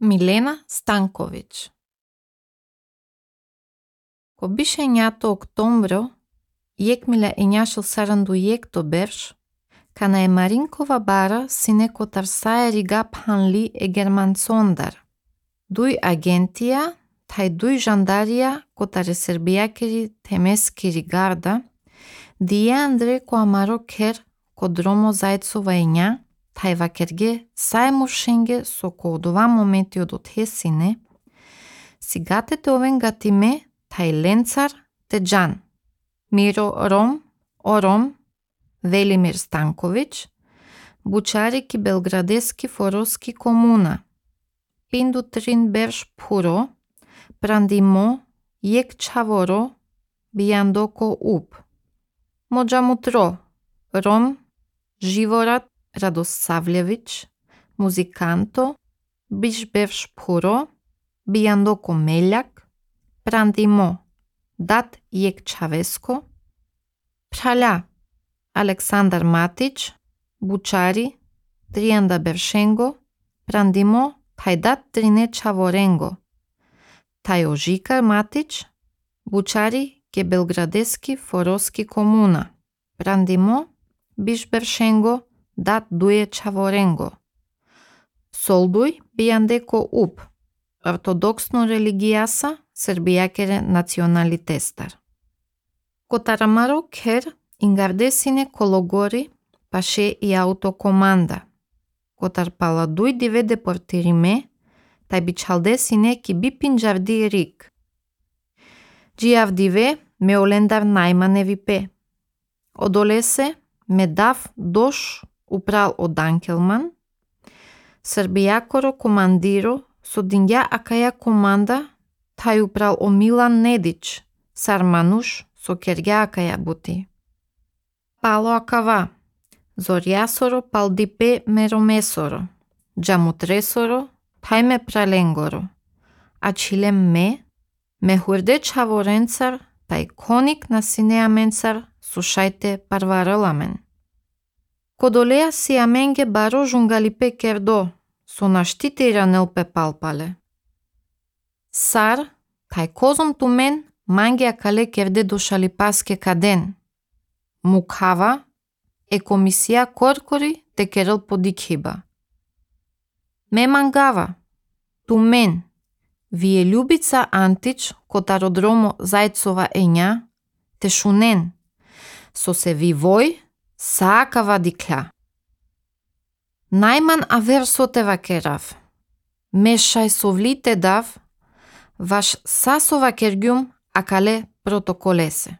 Милена Станкович. Ко беше нято октомвро, јекмиле ењашил саранду јекто берш, кана е Маринкова бара сине котар саери гап ханли е германсондар. Дуј агентија, тај дуј жандарија котар е сербијакери темескири гарда, дие Андре ко амаро кер ко дромо зајцова ења, тај вакерге сајмуршенге со коодова моменти од отхесине, сигатете овен гатиме тај ленцар те джан. Миро Ром, Ором, Велимир Станкович, Бучарики Белградески Фороски комуна, Пинду Трин Берш Пуро, Прандимо, Јек Чаворо, Бијандоко Уп, Моджамутро, Ром, Живорат Радосављевич, Музиканто, Биш Берш Пуро, Бијандоко Мељак, Прандимо, Дат Јек Чавеско, Праља, Александар Матич, Бучари, Тријанда Бершенго, Прандимо, Тајдат Трине Чаворенго, Тај Ожикар Матич, Бучари ке Белградески Фороски комуна, Прандимо, Биш Бершенго, Дат Дуе Чаворенго, Солдуј Бијандеко Уп, ортодоксно религијаса, сербијакере националитестар. Котарамаро кер ингардесине кологори паше и аутокоманда. Котар паладуј диве депортириме, тај бичалдесине ки би пинџарди рик. Джијавдиве ме олендар најманеви пе. Одолесе ме дав дош упрал од Анкелман, Србијакоро командиро со диња акаја команда, тај упрал о Милан Недич, Сармануш со кергја акаја бути. Пало акава, Зорјасоро палдипе меромесоро, Джамутресоро, тај ме праленгоро, а чилем ме хурде чаворенцар, тај коник на синеа менцар, сушајте парвараламен. Кодолеа си аменге баро жунгалипе кердо, со наштите ранелпе палпале. Сар, тај козом тумен, манге акале керде дошали паске каден. Мукава, е комисија коркори те керел подикхиба. Ме мангава, тумен, вие Љубица Антич, котародромо зајцова ења, те шунен, со се вивој, саакава дикля. Најман аверсоте вакерав, мешај совлите дав, ваш сасова кергјум акале протоколесе.